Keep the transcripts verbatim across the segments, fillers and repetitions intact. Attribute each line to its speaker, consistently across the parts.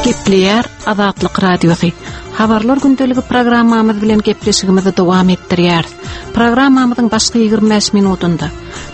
Speaker 1: Gepleýär Azatlyk Radiosy. Habarlar gündeligi programmamyz bilen gepleşigimizi dowam etdirýäris. Programmamyzyň başky ýigrimi bäş minutynda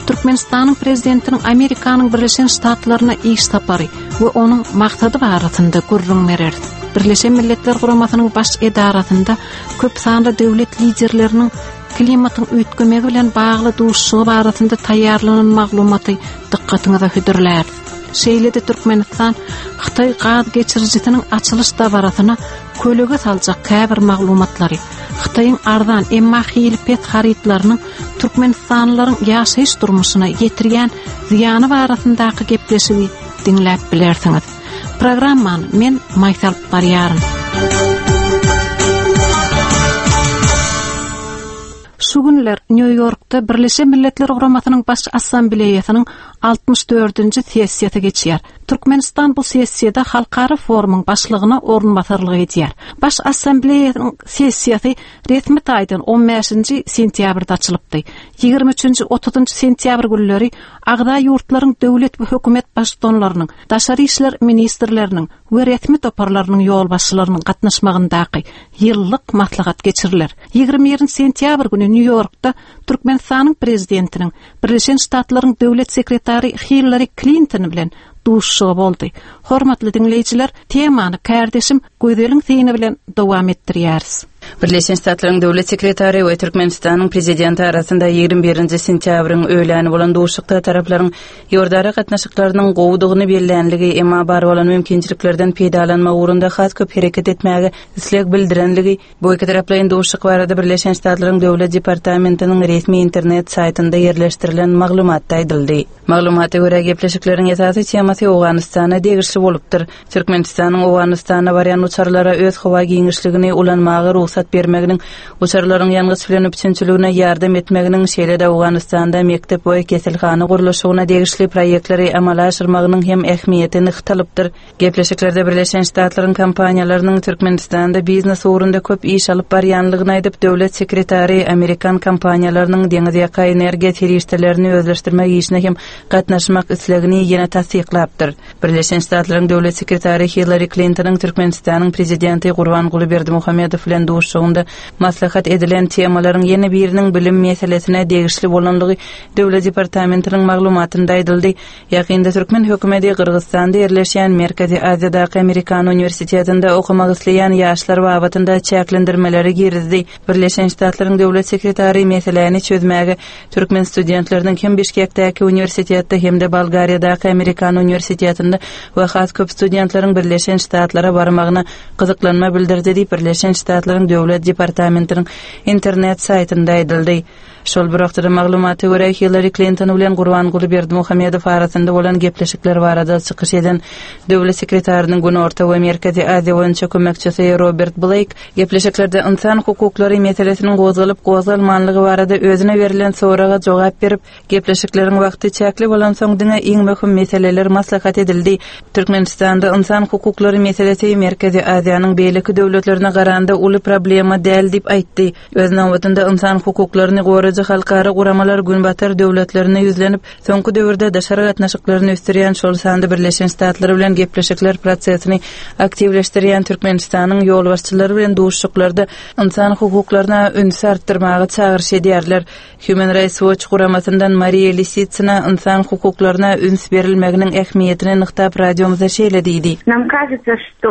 Speaker 1: Türkmenistanyň Prezidentiniň Amerikanyň Birleşen Ştatlaryna iş sapary we onuň maksady barasynda gürrüň bereris. Birleşen Milletler Guramasynyň baş edarasynda köp sanly döwlet liderleriniň klimatyň üýtgemegi bilen bagly duşuşygy barasynda taýýarlanan maglumaty dykgatyňyza hödürläris. Şeýle-de Türkmenistan Hytaý gaz geçirijisiniň açylyş dabarasyna kölege saljak käbir maglumatlary, Hytaýyň arzan emma hili pes harytlarynyň türkmenistanlylaryň ýaşaýyş durmuşyna ýetirýän zyýany barasyndaky gepleşigi diňläp bilersiňiz. Programmany men Maýsa alyp barýaryn. Şu günler Nýu-Ýorkda Birleşen Milletler Guramasynyň Baş Assambleýasynyň altmyş dördünji sessiýasy geçýär. Türkmenistan bu sessiýada halkara forumyň başlygyna orunbasarlyk edýär. Baş Assambleýasynyň sessiýasy resmi taýdan on bäşinji sentýabrda açylypdy. Ýigrimi üçünji, otuzynjy sentýabr günleri agza ýurtlaryň döwlet we hökümet baştutanlarynyň, daşary işler ministrleriniň we resmi toparlarynyň ýolbaşçylarynyň gatnaşmagyndaky ýyllyk maslahat geçiriler. Ýigrimi birinji sentýabr güni Nýu-Ýorkda Türkmenistanyň prezidentiniň Birleşen Ştatlaryň döwlet sekretary Hillary Klinton bilen duşuşygy boldy. Hormatly diňleýjiler, temany kärdeşim Gözeliň syny bilen dowam etdirýäris.
Speaker 2: Birleşen Ştatlaryň döwlet sekretary we Türkmenistanyň prezidenti arasynda ýigrimi birinji sentýabryň öýläni bolan duşuşykda taraplaryň ýurdara gatnaşyklarynyň gowudygyny bellänligi, emma bar bolan mümkinçiliklerden peýdalanmak ugrunda has köp hereket etmäge isleg bildirenligi, bu iki taraplaýyn duşuşyk barada Birleşen Ştatlaryň Döwlet departamentiniň resmi internet saýtynda ýerleşdirilen maglumatda aýdyldy. Maglumata görä gepleşikleriň esasy temasy Owganystana degişli bolupdyr. Türkmenistanyň Owganystana barýan uçarlara öz howa giňişligini ulanmaga rugsat bermeginiň, uçarlaryň ýangyç bilen üpjünçiligine ýardam etmeginiň, şeýle-de Owganystanda mekdep we keselhana gurluşygyna degişli proýektleri amala aşyrmagynyň hem ähmiýeti nygtalypdyr. Gepleşiklerde Birleşen Ştatlaryň kompaniýalarynyň Türkmenistanda biznes ugrunda köp iş alyp barýanlygyny aýdyp, döwlet sekretary Amerikan kompaniýalarynyň deňiz ýaka energiýa serişdelerini özleşdirmek işine hem gatnaşmak islegini ýene tassyklapdyr. Birleşen Ştatlaryň döwlet sekretary Hillary Clintonyň Türkmenistanyň prezidenti Gurbanguly Berdimuhamedow bilen duşuşygynda maslahat edilen temalaryň ýene biriniň bilim meselesine degişli bolanlygy Döwlet departamentiniň maglumatynda aýdyldy. Ýakynda türkmen hökümeti Gyrgyzystanda ýerleşýän Merkezi Aziýadaky Amerikan uniwersitetinde okamak isleýän ýaşlar babatynda çäklendirmeleri girizdi. Birleşen Ştatlaryň döwlet sekretary meseläni çözmäge türkmen studentleriniň hem Bişkekdäki uniwersitetde hem-de Bolgariýadaky Amerikan uniwersitetinde we has köp studentleriň Birleşen Ştatlara barmagyna gyzyklanma bildirdi diýip Birleşen Ştatlaryň Döwlet departamentiniň internet saýtynda aýdyldy. Şol bir wagtda maglumata görä Hillary Clinton bilen Gurbanguly Berdimuhamedow arasynda bolan gepleşikler barada çykyş eden döwlet sekretarynyň Günorta we Merkezi Aziýa boýunça kömekçisi Robert Blake gepleşiklerde insan hukuklary meselesiniň gozgalyp gozgalmanlygy barada özüne berlen soraga jogap berip, gepleşikleriň wagty çäkli bolan soň diňe iň möhüm meseleler maslahat edildi. Türkmenistanda insan hukuklary meselesi Merkezi Aziýanyň beýleki döwletlerine garanda uly problema däl diýip aýtdy. Öz nobatynda insan hukuklaryny goraýjy halkara guramalar Günbatar döwletlerine ýüzlenip, soňky döwürde daşary gatnaşyklaryny ösdürýän şol sanda Birleşen Ştatlar bilen gepleşikler prosesini aktiwleşdirýän Türkmenistanyň ýolbaşçylary bilen duşuşyklarda insan hukuklaryna üns artdyrmaga çagyryş edýärler. Human Rights Watch guramasyndan Mariya Lisitsina insan hukuklaryna üns berilmeginiň ähmiýetini nygtap radiomyza şeýle diýdi.
Speaker 3: Нам кажется, что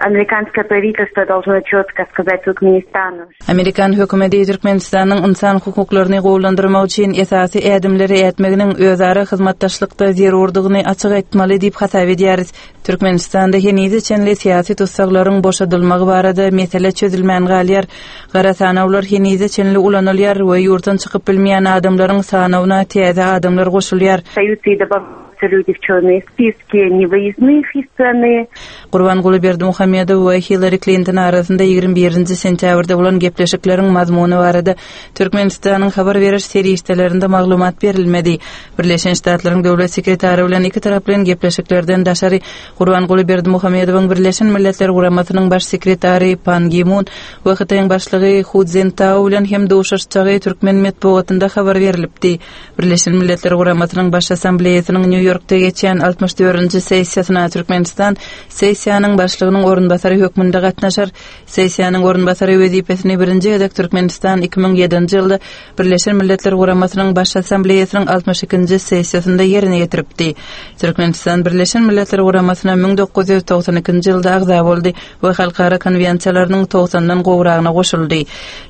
Speaker 3: американское правительство должно четко сказать Туркменистану.
Speaker 2: Amerikan hökümeti Türkmenistanyň insan hukuklaryny gowulandyrmak üçin esasy ädimleri ätmeginiň özara hyzmatdaşlykda zerurdygyny açyk aýtmaly diýip hasap edýäris. Türkmenistanda henize çenli syýasy tussaglaryň boşadylmagy barada mesele çözülmän galýar. Gara sanawlar henize çenli ulanylýar we ýurtdan çykyp bilmeýän adamlaryň sanawyna täze adamlar goşulýar.
Speaker 3: Остаются и добавляются люди в черные списки невыездных из страны.
Speaker 2: Gurbanguly Berdimuhamedow we Hillary Clinton arasynda ýigrimi birinji birinji sentýabrda bolan gepleşikleriň mazmuny barada Türkmenistanyň habar beriş serişdelerinde maglumat berilmedi. Birleşen Ştatlaryň döwlet sekretary bilen iki taraplaýyn gepleşiklerden daşary Gurbanguly Berdimuhamedowyň Birleşen Milletler Guramasynyň baş sekretary Pan Gi Mun we Hytaýyň başlygy Hu Jintao bilen hem duşuşjagy türkmen metbugatynda habar berilipdi. Birleşen Milletler Guramasynyň Baş Assambleýasynyň Nýu-Ýorkda geçýän altmyş dördünji sessiýasyna Türkmenistan sessiýanyň başlygynyň orunbasary hökmünde gatnaşar. Sessiýanyň orunbasary wezipesini birinji gezek Türkmenistan iki müň ýedinji ýylda Birleşen Milletler Guramasynyň Baş Assambleýasynyň altmyş ikinji sessiýasynda ýerine ýetiripdi. Türkmenistan Birleşen Milletler Guramasyna müň dokuz ýüz togsan ikinji ýylda agza boldy we halkara konwensiýalarynyň togsandan gowragyna goşuldy.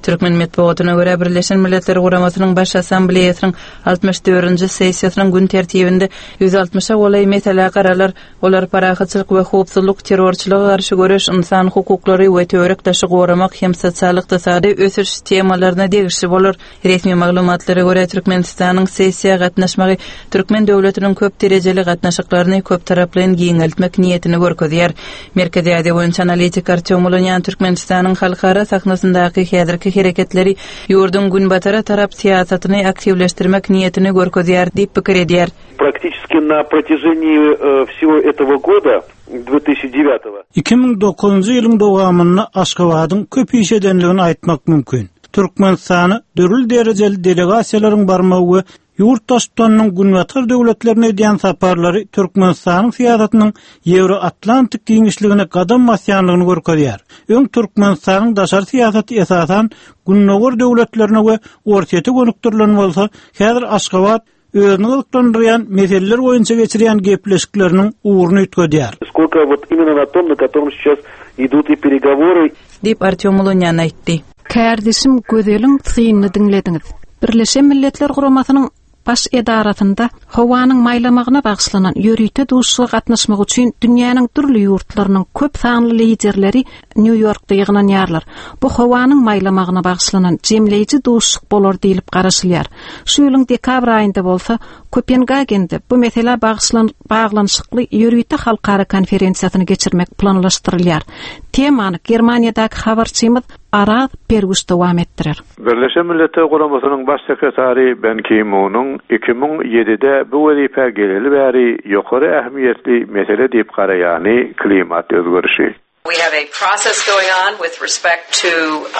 Speaker 2: Türkmen metbugatyna görä Birleşen Milletler Guramasynyň Baş Assambleýasynyň altmyş dördünji sessiýasynyň gün tertibinde ýüz altmyşa golaý mesele garalar, olar parahatçylyk we howpsuzlyk, terrorçylyga garşy göreş, insan hukuklary we töwerek daşy goramak hem sosial-ykdysady ösüş temalaryna degişli bolar. Resmi maglumatlara görä Türkmenistanyň sessiýa gatnaşmagy Türkmen döwletiniň köp derejeli gatnaşyklaryny köp taraplaýyn giňeltmek niýetini görkezýär. Merkezi Aziýa boýunça analitik Artyom Ulunýan Türkmenistanyň halkara sahnasyndaky häzirki hereketleri ýurduň günbatara tarap syýasatyny aktiwleşdirmek niýetini görkezýär diýip pikir edýär.
Speaker 4: Практически на протяжении, э, всего этого года, две тысячи девятого.
Speaker 5: Iki müň dokuzynjy ýylyň dowamynda Aşgabadyň köp iş edenligini aýtmak mümkin. Türkmenistany dürli derejeli delegasiýalaryň barmagy we ýurt daşlarynyň günbatar döwletlerine edýän saparlary Türkmenistanyň syýasatynyň Ýewro-Atlantik giňişligine gadam basýanlygyny görkezýär. Öň Türkmenistanyň daşary syýasaty esasan gündogar döwletlerine we Orsýete gönükdirilen bolsa, häzir Aşgabat özüni gyzyklandyrýan meseleler boýunça geçirýän gepleşikleriniň ugruny üýtgedýär.
Speaker 4: Сколько вот именно на том, на котором сейчас идут и переговоры.
Speaker 2: Diýip Artyom Ulunýan aýtdy.
Speaker 1: Kardeşim Gözeliň synyny diňlediňiz. Birleşen Milletler Guramasynyň baş edarasynda howanyň maýlamagyna bagyşlanan ýörite duşuşyga gatnaşmak üçin dünýäniň dürli ýurtlarynyň köp sanly liderleri Nýu-Ýorkda ýygnanýarlar. Bu howanyň maýlamagyna bagyşlanan jemleýji duşuşyk bolar diýilip garaşylýar. Şu ýylyň dekabr aýynda bolsa Kopengagende bu mesele bagyşlan baglanyşykly ýörite halkara konferensiýasyny geçirmek planlaşdyrylýar. Temany Germaniýadaky habarçymyz Araz Perguş dowam etdirer.
Speaker 6: Birleşen Milletler Guramasynyň baş sekretary Ban Ki-munyň iki müň ýedide bu wezipe geleli bäri ýokary ähmiýetli mesele diýip garaýany klimat özgerişi.
Speaker 7: We have a process going on with respect to,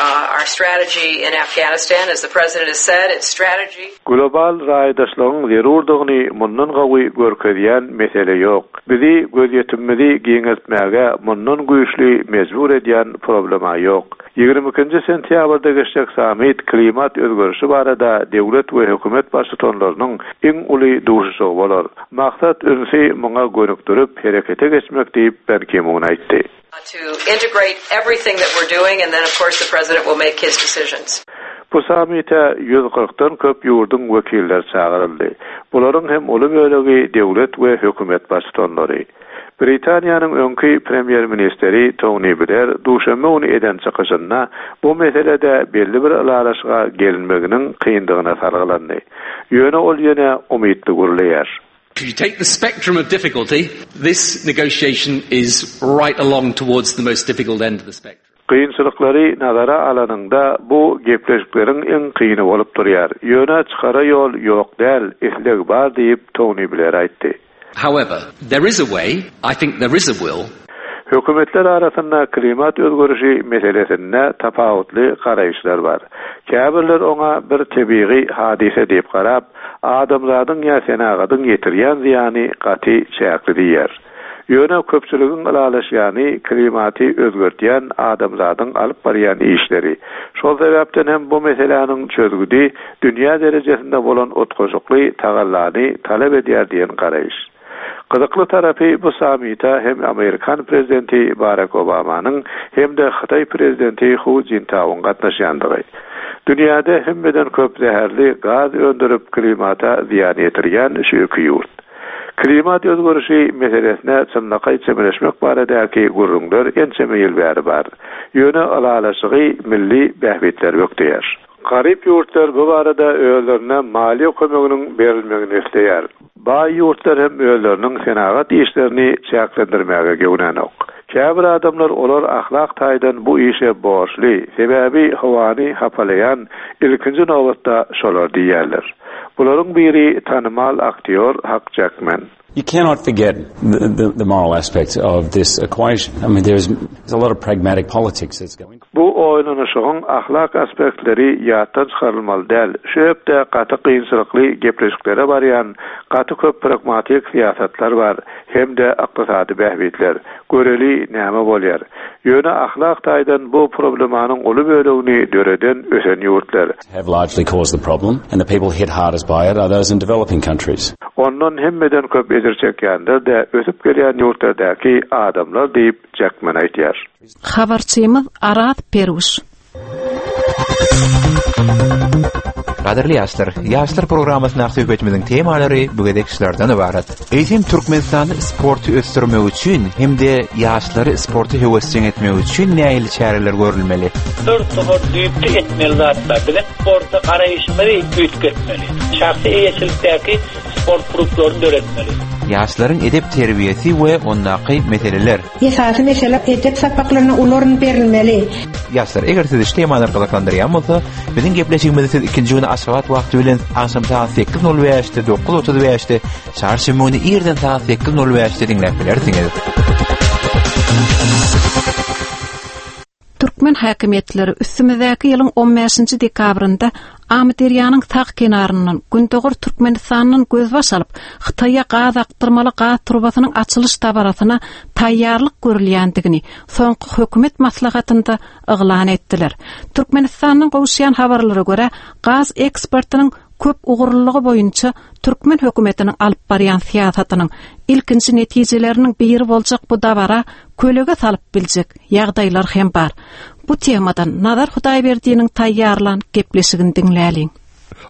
Speaker 7: uh, our strategy in Afghanistan. As the president has said, it's strategy.
Speaker 6: Global raýdaşlygyň zerurdygyny mundan gawy görkezýän mesele ýok. Bizi gözýetimimizi giňeltmäge mundan güýçli mejbur edýän problema ýok. Ýigrimi ikinji sentýabrda geçjek sammit klimat özgerişi barada döwlet we hökümet baştutanlarynyň iň uly duşuşygy bolar. Maksat ünsi muňa gönükdirip herekete geçmek diýip Ban Ki-mun aýtdy.
Speaker 7: To integrate everything that we're doing, and then of course the president will make his decisions.
Speaker 6: Bu sammite ýüz kyrkdan köp ýurduň wekilleri çagyryldy. Bularyň hem uly bölegi döwlet we hökümet baştutanlary. Britaniýanyň öňki premýer-ministri Tony Blair duşenbe güni eden çykyşynda bu meselede belli bir ylalaşyga gelinmeginiň kyndygyna salgylandy. Ýöne ol ýene umytly gürleýär.
Speaker 8: If you take the spectrum of difficulty, this negotiation is right along towards the most difficult end of the spectrum.
Speaker 6: Kynçylyklary nazara alanyňda bu gepleşikleriň iň kyny bolup durýar. Ýöne çykara ýol ýok däl, isleg bar diýip Tony Blair aýtdy.
Speaker 8: However, there is a way, I think there is a will.
Speaker 6: Hökümetler arasynda klimat özgerişi meselesinde tapawutly garaýyşlar bar. Käbirler oňa bir tebigy hadise diýip garap, adamzadyň ýa senagadyň ýetirýän zyýany gaty çäkli diýer. Ýöne köpçüligiň ylalaşýany klimaty özgertýän adamzadyň alyp barýan işleri. Şol sebäpden hem bu meseläniň çözgüdi dünýä derejesinde bolan utgaşykly tagallany talap edýär diýen garaýyş. Gyzykly tarapy bu sammite hem Amerikan prezidenti Barack Obamanyň hem de Hytaý prezidenti Hu Jintaowyň gatnaşýandygy. Dünýäde hemmeden köp zäherli gaz öndürip klimata zyýan ýetirýän şu iki ýurt. Klimat özgerişi meselesine çynlakaý çemeleşmek baradaky gürrüňler ençeme ýyl bäri bar. Ýöne ylalaşygy milli bähbitler bökdeýär. Garyp ýurtlar bu barada özlerine maliýe kömeginiň berilmegini isleýär. Baý ýurtlar hem özleriniň senagat işlerini çäklendirmäge göwnänok. Käbir adamlar olar ahlak taýdan bu işe borçly, sebäbi howany hapalaýan ilkinji nobatda şolar diýýärler. Bularyň biri tanymal aktýor Hak Jekmen.
Speaker 9: You cannot forget the, the, the moral aspect of this equation. I mean, there's, there's a lot of pragmatic politics that's going.
Speaker 6: Bu oýlanyşygyň ahlak aspektleri ýatdan çykarylmaly däl. Şu hepde gaty kynçylykly gepleşiklere barýan gaty köp pragmatik syýasatlar bar, hem-de ykdysady bähbitler. Göreli näme bolýar. Ýöne ahlak taýdan bu problemanyň uly bölegini döreden ösen ýurtlar.
Speaker 9: Have largely caused the problem, and the people hit hardest by it are those in developing countries.
Speaker 6: Ondan hemmeden köp ejir çekýänler-de ösüp gelýän ýurtlardaky adamlar diýip Jackman aýtýar.
Speaker 1: Habarçymyz Arat Peruş.
Speaker 10: Gadyrly ýaşlar, ýaşlar programmasyna söhbetimiziň temalary bu gezek şulardan ibarat. Eýsem Türkmenistanda sporty ösdürmek üçin hem-de ýaşlary sporty höwesjeň etmek üçin nähili çäreler görülmeli?
Speaker 11: Bir topar düýpli etmeli zatlar. Biziň sporta garaýşymyzy üýtgetmeli. Şahsy eýeçilikdäki sport klublaryny döretmeli.
Speaker 10: Ýaşlaryň edep terbiýesi we ondaky meseleler.
Speaker 12: Esasy mesele edep sapaklaryna ularyn berilmeli.
Speaker 10: Ýaşlar, eger sizi şu temalar gyzyklandyrýan bolsa, biziň gepleşigimizi siz ikinji güni Aşgabat wagty bilen agşam saat sekiz nol bäşde, dokuz otuz bäşde, çarşenbe güni irden saat sekiz nol bäşde diňläp bilersiňiz.
Speaker 1: Türkmen häkimiýetleri üstümizdäki ýylyň on bäşinji dekabrynda Amyderýanyň sag kenaryndan Gündogar Türkmenistandan gözbaş alyp, Hytaýa gaz akdyrmaly gaz turbasynyň açylyş dabarasyna taýýarlyk görülýändigini soňky hökümet maslahatynda yglan etdiler. Türkmenistandan gowuşýan habarlara görä, gaz eksportynyň köp ugurlylygy boýunça türkmen hökümetiniň alyp barýan syýasatynyň ilkinji netijeleriniň biri boljak bu dabara kölege salyp biljek ýagdaýlar hem bar. Bu temadan Nazar Hudaýberdiniň taýýarlan gepleşigini diňläliň.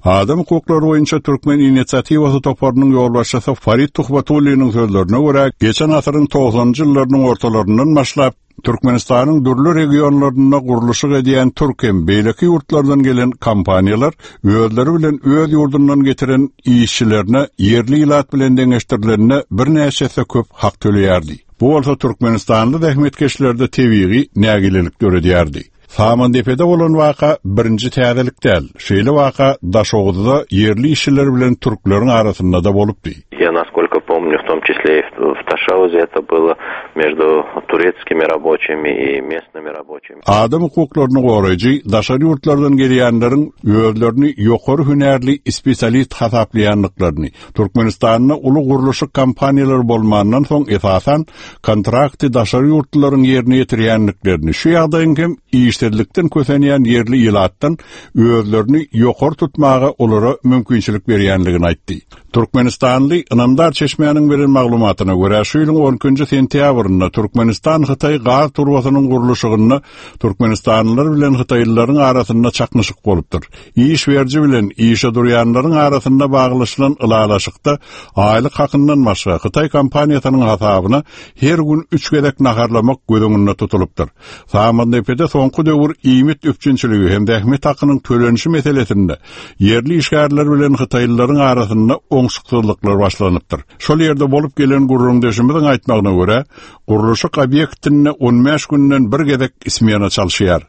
Speaker 13: Adam hukuklary boýunça Türkmen inisiatiwasy toparynyň ýolbaşçysy Farid Tuhbatulliniň sözlerine görä, geçen asyryň togsanynjy ýyllarynyň ortalaryndan başlap Türkmenistanyň dürli regionlarynda gurluşyk edýän türk hem beýleki ýurtlardan gelen kompaniýalar özleri bilen öz ýurdundan getiren işçilerine ýerli ilat bilen deňeşdirilenine birnäçe köp hak töleýärdi. Bu bolsa Türkmenistanly zähmetkeşlerde tebigy nägilelik döredýärdi. Samandepede bolan waka birinji täzelik däl. Şeýle waka Daşoguzda ýerli işçiler bilen türkleriň arasynda da bolupdy.
Speaker 14: Я, насколько помню, в том числе и в Ташаузе это было между турецкими рабочими и местными рабочими.
Speaker 13: Adam hukuklaryny goraýjy daşary ýurtlardan gelýänleriň özlerini ýokary hünärli spesialist hasaplaýanlyklaryny, Türkmenistanda uly gurluşyk kompaniýalary bolmandan soň esasan kontrakty daşary ýurtlaryň ýerine ýetirýänliklerini, şu ýagdaýyň hem işsizlikden kösenýän ýerli ilatdan özlerini ýokary tutmaga olara mümkinçilik berýänligini aýtdy. Türkmenistanly ynamdar çeşmäniň beren maglumatyna görä, şu ýylyň on ikinji sentýabrynda Türkmenistan Hytaý gaz turbasynyň gurluşygynda Türkmenistanlylar bilen Hytaýlylaryň arasynda çaknyşyk bolupdyr. Iş beriji bilen işe durýanlaryň arasynda baglaşylan ylalaşykda aýlyk hakyndan başga Hytaý kompaniýasynyň hasabyna her gün üç gezek naharlamak göz öňünde tutulypdyr. Samandepede soňky döwür iýmit üpjünçiligi hem zähmet hakynyň tölenişi meselesinde ýerli işgärler bilen Hytaýlylaryň arasynda oňşuksyzlyklar başlanypdyr. Şol ýerde bolup gelen gurrumdeşimiziň aýtmagyna görä, gurluşyk obýektinde on bäş günden bir gezek ismena çalyşýar.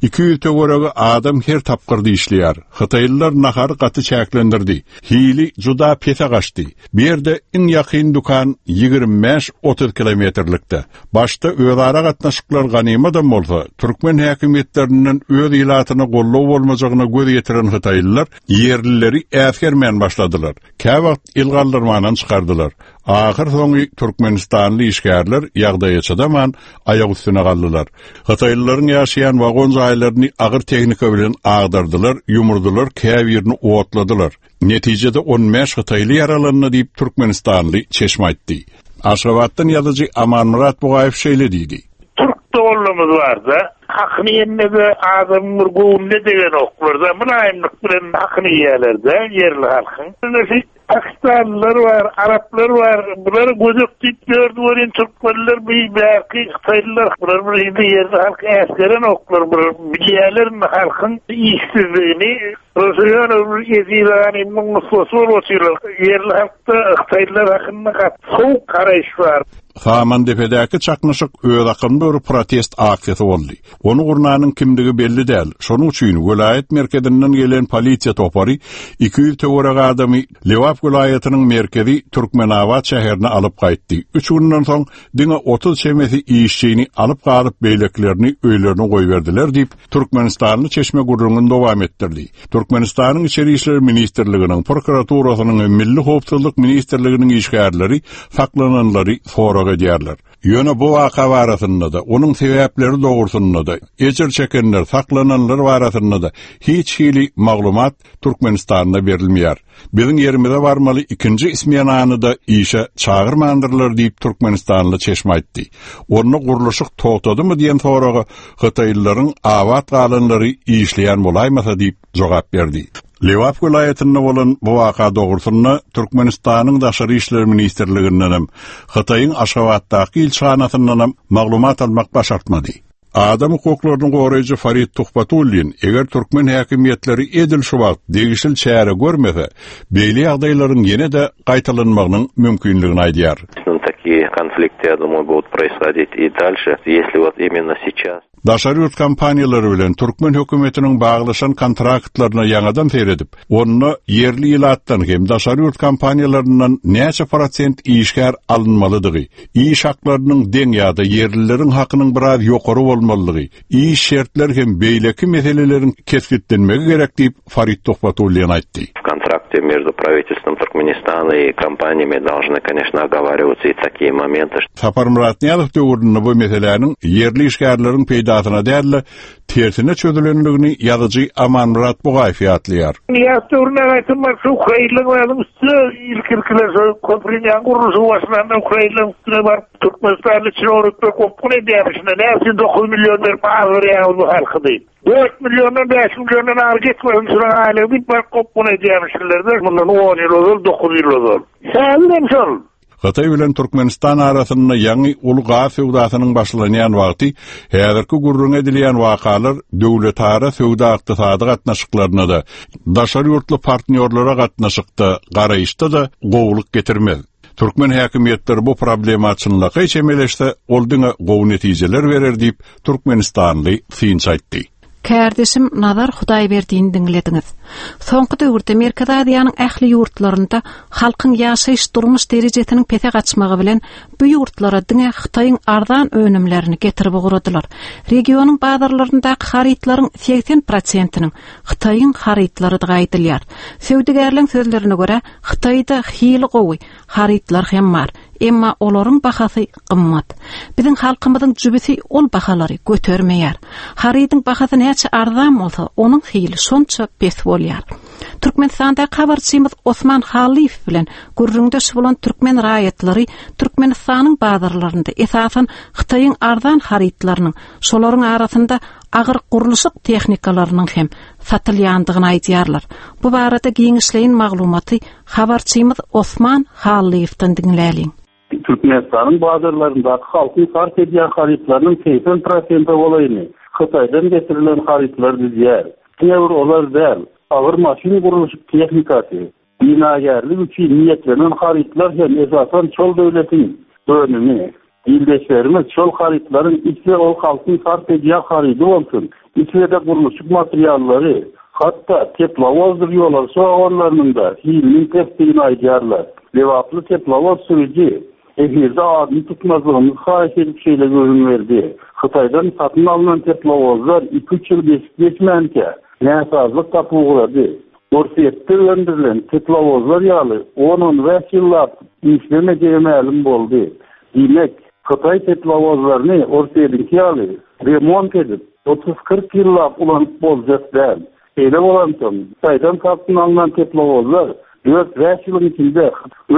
Speaker 13: Iki ýüz töweregi adam her tapgyrda işleýär. Hytaýlylar nahary gaty çäklendirdi. Hili juda pese gaçdy. Bu ýerde iň ýakyn dükan ýigrimi bäş otuz kilometrlikde. Başda özara gatnaşyklar ganymadam bolsa, türkmen häkimiýetlerinden öz ilatyna gollow bolmajagyna göz ýetiren Hytaýlylar ýerlileri äsgermän başladylar. Käwagt el galdyrmandan çykardylar. Ahyr soňy Türkmenistanly işgärler ýagdaýa çydaman aýak üstüne galdylar. Hytaýlylaryň ýaşaýan wagon jaýlaryny agyr tehnika bilen agdardylar, ýumurdylar, käbirini otladylar. Netijede on bäş Hytaýly ýaralandy diýip Türkmenistanly çeşme aýtdy. Aşgabatdan ýazyjy Amanmyrat Bugaýew şeýle diýdi.
Speaker 15: Türk doganlarymyz barda, Hakyny iýende adamyň bir göwnüne degenoklar-da, mylaýymlyk bilen hakyny iýýärler-de ýerli halkyň. Pakistanlylar bar, araplar bar, bular gödek diýip ýördi welin türkmenler bir bärki hytaýlylar, bular bir indi ýerli halk äsgerenoklar, bular bilýärler indi halkyň işsizligini. Bular ýöne bir eziz ganymyň nusgasy bolup otyrlar. Ýerli halkda hytaýlylar hakynda gaty sowuk garaýyş bar.
Speaker 13: Samandepedäki çaknyşyk özakymly bir protest aksiýasy boldy. Ony gurnanyň kimdigi belli däl. Şonuň üçin welaýat merkezinden gelen polisiýa topary iki ýüz töwerek adamy Lebap welaýatynyň merkezi Türkmenabat şäherine alyp gaýtdy. Üç günden soň diňe otuz çemesi işçini alyp galyp beýleklerini öýlerine goýberdiler diýip, Türkmenistanly çeşme gürrüňini dowam etdirdi. Türkmenistanyň Içeri işler ministrliginiň, prokuraturasynyň we Milli howpsuzlyk ministrliginiň işgärleri saklananlary sorag edýärler. Ýöne bu waka barasynda-da, onuň sebäpleri dogrusynda-da, ejir çekenler, saklananlar barasynda-da hiç hili maglumat Türkmenistanda berilmeýär. Biziň ýerimize barmaly ikinji ismenany-da işe çagyrmandyrlar diýip Türkmenistanly çeşme aýtdy. Onda gurluşyk togtadymy diýen soraga Hytaýlylaryň abat galanlary işleýän bolaýmasa diýip jogap berdi. Lebap welaýatynda bolan bu waka dogrusynda Türkmenistanyň Daşary işler ministrligindenem, Hytaýyň Aşgabatdaky ilçihanasyndanam maglumat almak başartmady. Adam hukuklaryny goraýjy Farid Tuhbatullin, eger türkmen häkimiýetleri edil şu wagt degişli çäre görmese, beýle ýagdaýlaryň ýene-de gaýtalanmagynyň mümkinligini aýdýar.
Speaker 14: Такие конфликты, я думаю, будут происходить и дальше, если вот именно сейчас.
Speaker 13: Daşary ýurt kompaniýalary bilen türkmen hökümetiniň baglaşan kontraktlaryna ýaňadan seredip, onda ýerli ilatdan hem daşary ýurt kompaniýalaryndan näçe prosent işgär alynmalydygy, iş haklarynyň deň ýa-da ýerlileriň hakynyň biraz ýokary bolmalydygy, iş şertleri hem beýleki meseleleriň kesgitlenmegi gerek diýip Farid Tuhbatullin aýtdy.
Speaker 14: В контракте между правительством Туркменистана и компаниями должны, конечно, оговариваться и такие моменты.
Speaker 13: Saparmyrat Nyýazow döwründe bu meseläniň ýerli işgärleriň peýdasyna däl-de tersine çözülendigini ýazyjy Amanmyrat Bugaýew ýatlaýar.
Speaker 15: Nyýazow döwründe aýtym bar, şu Ukrainanyň üstüne ilk-ilkiler şu köprüniň gurluşygy başlanda Ukrainanyň üstüne baryp Türkmenistanly çinownikler gopgun edýärmişler. Näme üçin dokuz million berip azdyrýaňyz bu halky diýip. Dört milliondan bäş milliondan ar geçmesin şuna aýlyk diýip baryp gopgun edýärmişler. Mundan on ýyl ozal, dokuz ýyl ozal. Häzirem şol.
Speaker 13: Hytaý bilen Türkmenistan arasynda ýaňy uly gaz söwdasynyň başlanýan wagty häzirki gürrüň edilýän wakalar döwletara söwda ykdysady gatnaşyklaryna-da, daşary ýurtly partnýorlara gatnaşykda, garaýyşda-da gowulyk getirmez. Türkmen häkimiýetleri bu problema çynlakaý çemeleşse, ol diňe gowy netijeler berer diýip Türkmenistanly synçy aýtdy.
Speaker 1: Kärdeşim Nazar Hudaýberdiýni diňlediňiz. Soňky döwürde Merkezi Aziýanyň ähli ýurtlarynda halkyň ýaşaýyş durmuş derejesiniň pese gaçmagy bilen bu ýurtlara diňe Hytaýyň arzan önümlerini getirip ugradylar. Regionyň bazarlaryndaky harytlaryň seksen prosentiniň Hytaýyň harytlarydygy aýdylýar. Söwdagärleň sözlerine görä, Hytaýda hili gowy harytlar hem bar, emma olaryň bahasy gymmat. Biziň halkymyzyň jübüsi ol bahalary götermeýär. Harydyň bahasy näçe arzan bolsa, onuň hili şonça pes bolýar. Türkmenistanda habarçymyz Osman Hallyýew bilen gürrüňdeş bolan türkmen raýatlary Türkmenistanyň bazarlarynda esasan Hytaýyň arzan harytlarynyň, şolaryň arasynda agyr gurluşyk tehnikalarynyň hem satylýandygyny aýdýarlar. Bu barada giňişleýin maglumaty habarçymyz Osman Hallyýewden diňläliň.
Speaker 16: Türkmenistanyň bazarlaryndaky halkyň sarp edýän harytlarynyň seksen prosenti bolaýyny Hytaýdan getirilen harytlar düzýär. Diňe bir olar däl, agyr maşyn gurluşyk tehnikasy, binagärlik üçin niýetlenen harytlar hem esasan şol döwletiň önümi. Ildeşlerimiz şol harytlaryň isle ol halkyň sarp edýän harydy bolsun, isle-de gurluşyk materiallary, hatda teplowozdyr ýolagçy wagonlarynyň da hiliniň pesdigini aýdýarlar. Lebaply teplowoz sürüji efirde adyny tutmazlygymyzy haýyş edip şeýle gürrüň berdi. Hytaýdan satyn alnan teplowozlar iki üç ýyl geçip geçmänkä näsazlyk tapyp ugrady. Orsýetde öndürilen teplowozlar ýaly on-on bäş ýyllap işlemejegi mälim boldy. Diýmek, Hytaý teplowozlaryny Orsýetiňki ýaly remont edip otuz kyrk ýyllap ulanyp boljak däl. Şeýle bolansoň, Hytaýdan satyn alnan teplowozlar dört bäş ýylyň içinde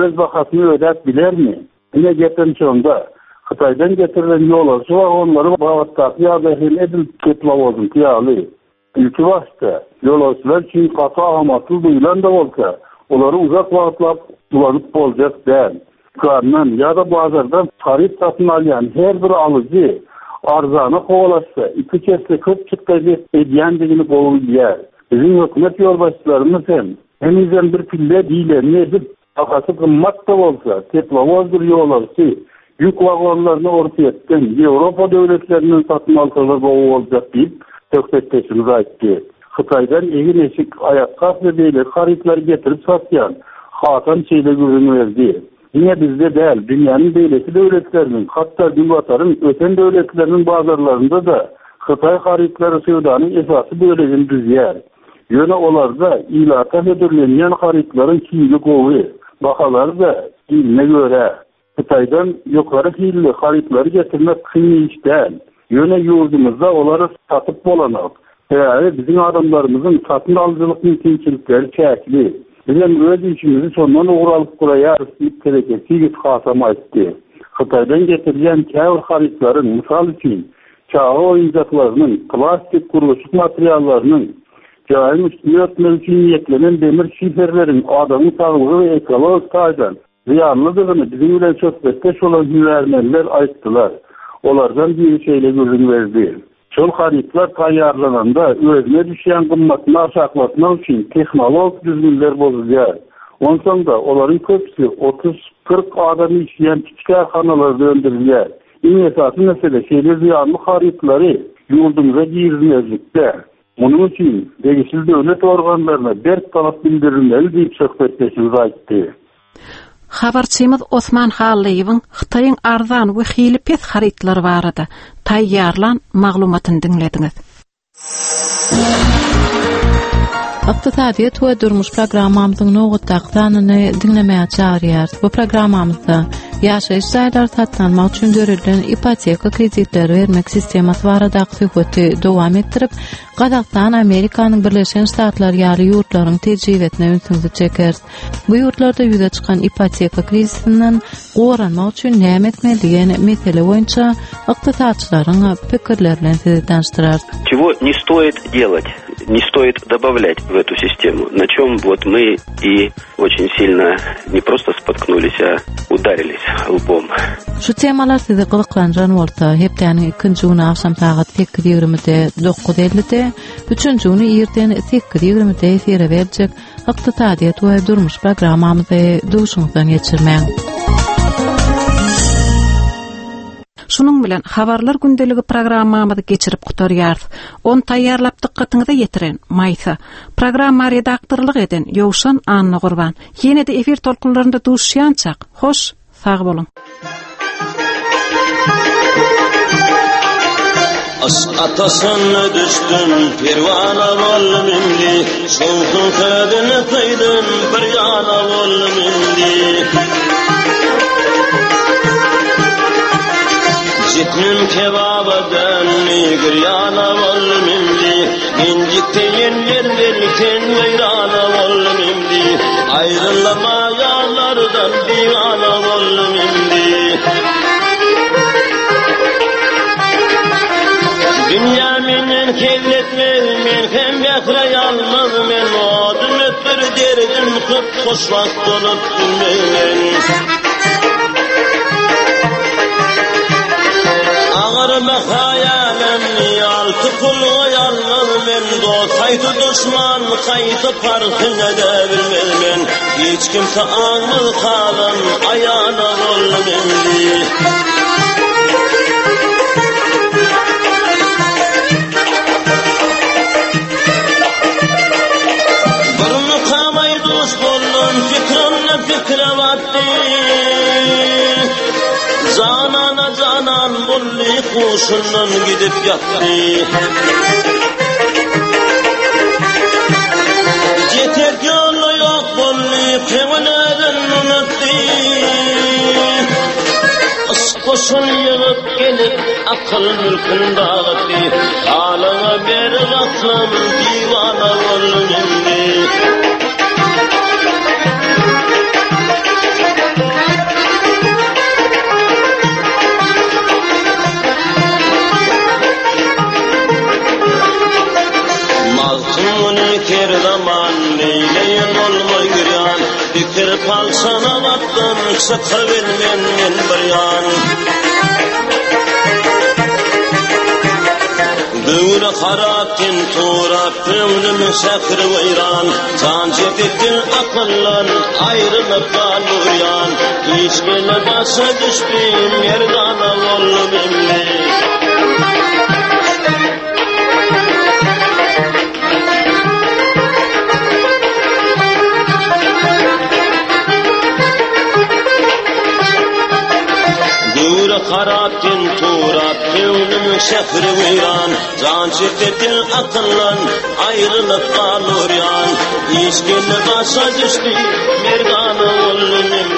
Speaker 16: öz bahasyny ödäp bilermi? Ine gepem şonda. Hytaýdan getirilen ýolagçy wagonlary babatdaky ýagdaý hem edil teplowozyňky ýaly. Ilki başda ýolagçylar üçin gaty amatly duýulan-da bolsa, olary uzak wagtlap ulanyp boljak däl. Dükandan ýa-da bazardan haryt satyn alýan her bir alyjy arzana kowalaşsa, iki esse köp çykdajy edýändigini gowy bilýär. Biziň hökümet ýolbaşçylarymyz hem henizem bir pille diýlenini edip, bahasy gymmat-da bolsa, teplowozdyr ýolagçy ýük wagonlaryny Orsýetden, Ýewropa döwletlerinden satyn alsalar gowy boljak diýip, söhbetdeşimiz aýtdy. Hytaýdan egin-eşik, aýakgap we beýleki harytlary getirip satýan Hasan şeýle gürrüň berdi. Diňe bizde däl, dünýäniň beýleki döwletleriniň, hatda Günbataryň ösen döwletleriniň bazarlarynda-da hytaý harytlary söwdanyň esasy bölegini düzýär. Ýöne olarda ilata hödürlenýän harytlaryň hili gowy, bahalary-da hiline görä. Hytaýdan ýokary hilli harytlary getirmek kyn iş däl. Ýöne ýurdumyzda olary satyp bolanok. Sebäbi biziň adamlarymyzyň satyn alyjylyk mümkinçilikleri çäkli. Bizem öz işimizi şondan ugur alyp guraýarys diýip, telekeçi ýigit Hasam aýtdy. Hytaýdan getirilýän käbir harytlaryň, mysal üçin, çaga oýunjaklarynyň, plastik gurluşyk materiallarynyň, jaýyň üstüni örtmek üçin niýetlenen demir şiferleriň adamyň saglygy we ekologik taýdan zyýanlydygyny biziň bilen söhbetdeş bolan hünärmenler aýtdylar. Olardan biri şeýle gürrüň berdi. Şol harytlar taýýarlananda özüne düşýän gymmatyny aşaklatmak üçin tehnologik düzgünler bozulýar. Onsoň-da olaryň köpüsi otuz, kyrk adam işleýän kiçi kärhanalarda öndürilýär. Iň esasy mesele şeýle zyýanly harytlary ýurdumyza girizmezlikde. Munuň üçin degişli döwlet organlaryna berk talap bildirilmeli diýip söhbetdeşimiz aýtdy.
Speaker 1: Habarçymyz Osman Hallyýewiň Hytaýyň arzan we hili pes harytlary barada taýýarlan maglumatyny diňlediňiz.
Speaker 17: Ykdysadyýet we durmuş programmamyzyň nobatdaky sanyny diňlemäge çagyrýarys. Bu programmamyzda ýaşaýyş jaýlary satyn almak üçin döredilen ipoteka kreditleri bermek sistemasy baradaky söhbeti dowam etdirip, Gazagystan, Amerikanyň Birleşen Ştatlary ýaly ýurtlaryň tejribesine ünsüňizi çekeris. Bu ýurtlarda ýüze çykan ipoteka krizisinden goranmak üçin näme etmeli diýen mesele boýunça ykdysatçylaryň pikirleri bilen sizi tanyşdyrarys.
Speaker 18: Чего не стоит делать, не стоит добавлять в эту систему, на чем вот мы и очень сильно не просто споткнулись, а ударились лбом.
Speaker 17: Şu temalar sizi gyzyklandyran bolsa, hepdäniň ikinji güni agşam sagat sekiz ýigrimide, dokuz ellide, üçünji güni irden sekiz ýigrimide efire berjek Ykdysadyýet we durmuş programmamyzy duşuňyzdan geçirmäň.
Speaker 1: Şunuň bilen habarlar gündeligi programmamyzy geçirip gutarýarys. Ony taýýarlap dykgatyňyza ýetiren Maýsa, programma redaktorlyk eden Ýowşan Annagurban. Ýene-de efir tolkunlarynda duşýançak, hoş, sag boluň.
Speaker 19: Aşk ataşına düşdüm, perwana boldum indi. Şowhun sözüni söýdüm, bir ýana boldum indi. Jitnim kebaba döndü, giryana boldum indi. Incikteyin yerlerken veyrana boldum indi. Ayrılama yağlardan divana boldum indi. Dünya menden kelletme, men hem bähre yalmaz men. Adım öpür derdim köp hoşwagt bolup bilmeyen. Agar hayalim altı pulga yalmaz men. Dost haýsy düşman haýsy parhyny da bilmez men. Hiç kimse aňmaz kalan aýana boldum indi. Fikre battı. Canana canan bulli kuşundan gidip yattı. Yeter yolu yok bulli kevneden unuttu. Kuşun yığıp gelip akıl mülkün dağıttı. Halına bir aklım divana oldum indi. Palçanabatdan çykybilmen men bir ýan. Göwre harap ten turap, köňlüm şähri weýran. Jan çekipdir akyllan, aýrylyp galurýan. Iş gele başa düşdi, merdana boldum indi. Göwre harap ten turap, köňlüm şähri weýran. Jan çekipdir akyllan, aýrylyp galurýan. Iş gele başa düşdi, merdana boldum indi.